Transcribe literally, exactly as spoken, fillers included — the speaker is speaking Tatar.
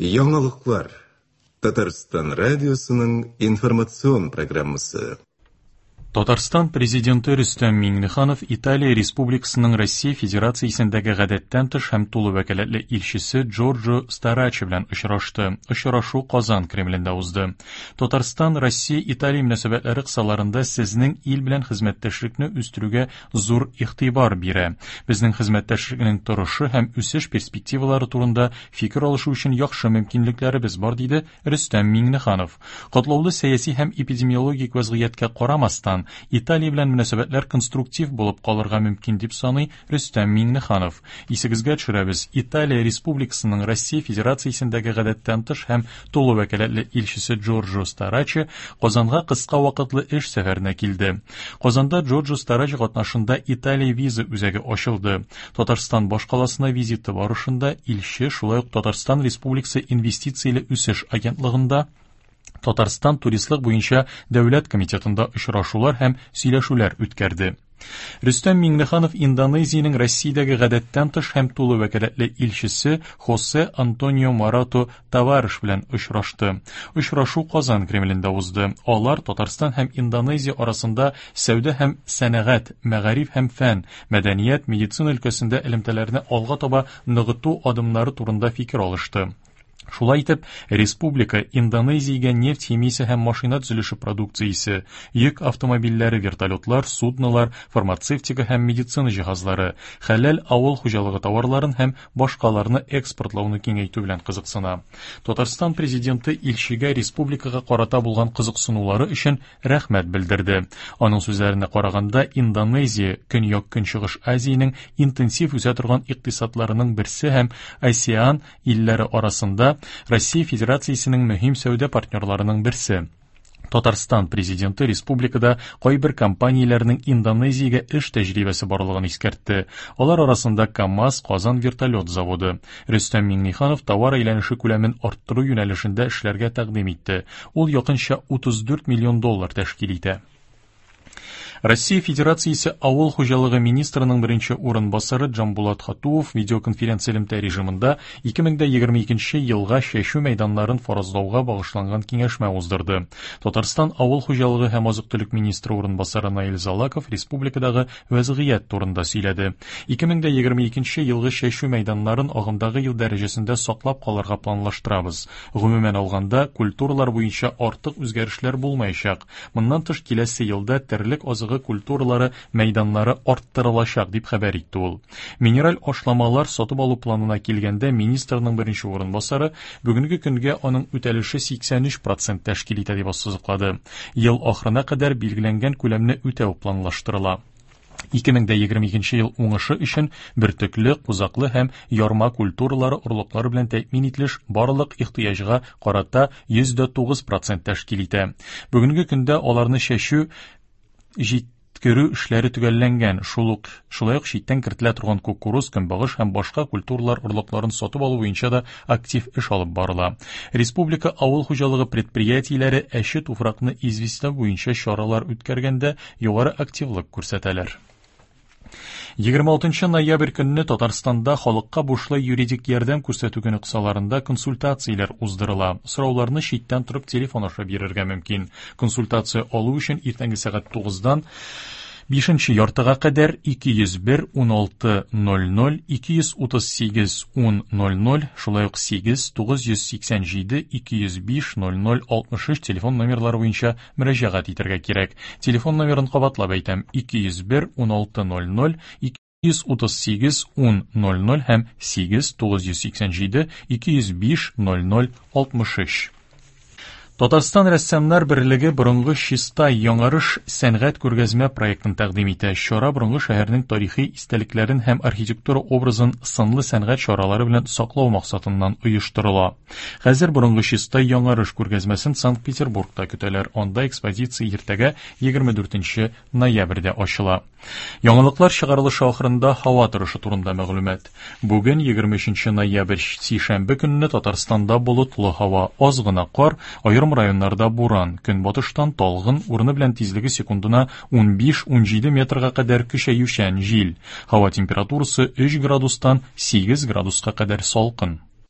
Яңалыклар. Татарстан радиосының информацион программасы. Татарстан президенты Рөстәм Миңнеханов Италия Республикасының Россия Федерациясендәге гадәттән тыш һәм тулы вәкаләтле илчесе Джорджо Старачи белән очрашты. Очрашу Казан Кремлендә узды. Татарстан Россия Италия мөнәсәбәтләре кысаларында сезнең ил белән хезмәттәшлекне үстерүгә зур игътибар бирә. Безнең хезмәттәшлекнең торышы һәм үсеш перспективалары турында фикер алышу өчен яхшы мөмкинлекләребез бар, диде Рөстәм Миңнеханов. Катлаулы сәяси һәм эпидемиологик вазгыятькә карамастан, Италия белән мөнәсәбәтләр конструктив булып калырга мөмкин дип саный Рөстәм Миңнеханов. Исегезгә төшерәбез, Италия Республикасының Россия Федерациясендәге гадәттән тыш һәм тулы вәкаләтле илчесе Джорджо Старачи Казанга кыска вакытлы эш сәфәренә килде. Казанда Джорджо Старачи катнашында Италия виза үзәге ачылды. Татарстан башкаласына визиты барышында илче шулай ук Татарстан Республикасы инвестицияле үсеш агентлыгында Татарстан туристлык буенча дәүләт комитетында очрашулар һәм сөйләшүләр үткәрде. Рөстәм Миңнеханов Индонезиянең Россиядәге гадәттән тыш һәм тулы вәкаләтле илчесе Хосе Антонио Марато Тавареш белән очрашты. Очрашу Казан Кремлендә узды. Алар Татарстан һәм Индонезия арасында сәүдә һәм сәнәгать, мәгариф һәм фән, мәдәният, медицина өлкәсендә элемтәләрне алга таба ныгыту адымнары турында фикер алышты. Шулай итеп, республика Индонезиягә нефть химиясе һәм машина төзелеше продукциясе, йөк автомобильләре, вертолетлар, суднолар, фармацевтика һәм медицина җиһазлары, хәләл авыл хуҗалыгы товарларын һәм башкаларны экспортлауны киңәйтү белән кызыксына. Татарстан президенты илчегә республикага карата булган кызыксынулары өчен рәхмәт белдерде. Аның сүзләренә караганда, Индонезия Көньяк-Көнчыгыш Азиянең интенсив үсә торган икътисадларының берсе һәм АСЕАН илләре арасында Россия Федерациясенең мөһим сәүдә партнерларының берсе. Татарстан президенты республикада кайбер компанияләрнең Индонезиягә эш тәҗрибәсе барлыгын искәртте. Алар арасында КАМАЗ, Казан вертолет заводы. Рөстәм Миңнеханов товар әйләнеше күләмен арттыру юнәлешендә эшләргә тәкъдим итте. Ул якынча утыз дүрт миллион доллар тәшкил итә. Россия Федерациясе Авыл хуҗалыгы министрының беренче урынбасары Джамбулат Хатуов видеоконференция элемтә режимында ике мең дә егерме икенче елга чәчү мәйданнарын фаразлауга багышланган киңәшмә уздырды. Татарстан Авыл хуҗалыгы һәм азык-төлек министры урынбасары Наил Залаков республикадагы вәзгыять турында сөйләде. Ике мең дә егерме икенче елгы чәчү мәйданнарын агымдагы ел дәрәҗәсендә саклап калырга планлаштырабыз. Гомумән алганда, культуралар буенча артык үзгәрешләр булмаячак. Моннан тыш киләсе елда терлек азыгы культуралары мәйданнары арттырылачак, дип хәбәр итте ул. Минераль ашламалар сатып алу планына килгәндә министрның беренче урынбасары бүгенге көнгә аның үтәлеше сиксән өч процент тәшкил итә дип ассызыклады. Ел ахырына кадәр билгеләнгән күләмне үтәү планлаштырыла. Ике мең дә егерме икенче ел уңышы өчен бөртекле, кузаклы һәм ярма культуралары орлыклары белән тәэмин ителеш барлык ихтыяҗга карата йөз дә тугыз процент тәшкил итә. Бүгенге көндә аларны чәчү җиткерү эшләре төгәлләнгән. Шул ук, шулай ук читтән кертелә торган кукуруз, көнбагыш һәм башка культуралар орлыкларын сатып алу буенча да актив эш алып барыла. Республика авыл хуҗалыгы предприятиеләре әче туфракны известьләү буенча чаралар үткәргәндә югары активлык күрсәтәләр. Егерме алтынчы ноябрь көнне Татарстанда халыкка бушлай юридик ярдәм күрсәтү көне кысаларында консультацияләр уздырыла. Сорауларны читтән торып телефон аша бирергә мөмкин. Консультация алу өчен иртәнге сәгать тугыздан бишенче яртыга кадәр ике йөз бер ун алты ноль ноль, ике йөз утыз сигез ун ноль ноль, шулай ук сигез тугыз йөз сиксән җиде ике йөз биш ноль ноль алтмыш өч телефон номерлары буенча мөрәҗәгать итәргә кирәк. Телефон номерын кабатлап әйтәм: ике йөз бер ун алты ноль ноль, ике йөз утыз сигез ун ноль ноль һәм сигез тугыз йөз сиксән җиде ике йөз биш ноль ноль алтмыш өч. Татарстан рәссамнар берлеге борынгы Чистай яңарыш сәнгать күргәзмә проектын тәкъдим итә. Чара борынгы шәһәрнең тарихи истәлекләрен һәм архитектура образын сынлы сәнгать чаралары белән саклау максатыннан оештырыла. Хәзер борынгы Чистай яңарыш күргәзмәсен Санкт-Петербургта көтәләр. Анда экспозиция иртәгә егерме дүртенче ноябрьдә ачыла. Яңалыклар чыгарылышы ахырында һава торышы турында мәгълүмат. Бүген егерме өченче ноябрь сишәмбе көнне Татарстанда болытлы һава, аз гына кар, аерым районнарда буран, көнбатыштан талгын, урыны белән тизлеге секундына ун биш-ун җиде метрга кадәр көчәючән җил. Һава температурасы өч градустан сигез градуска кадәр салкын.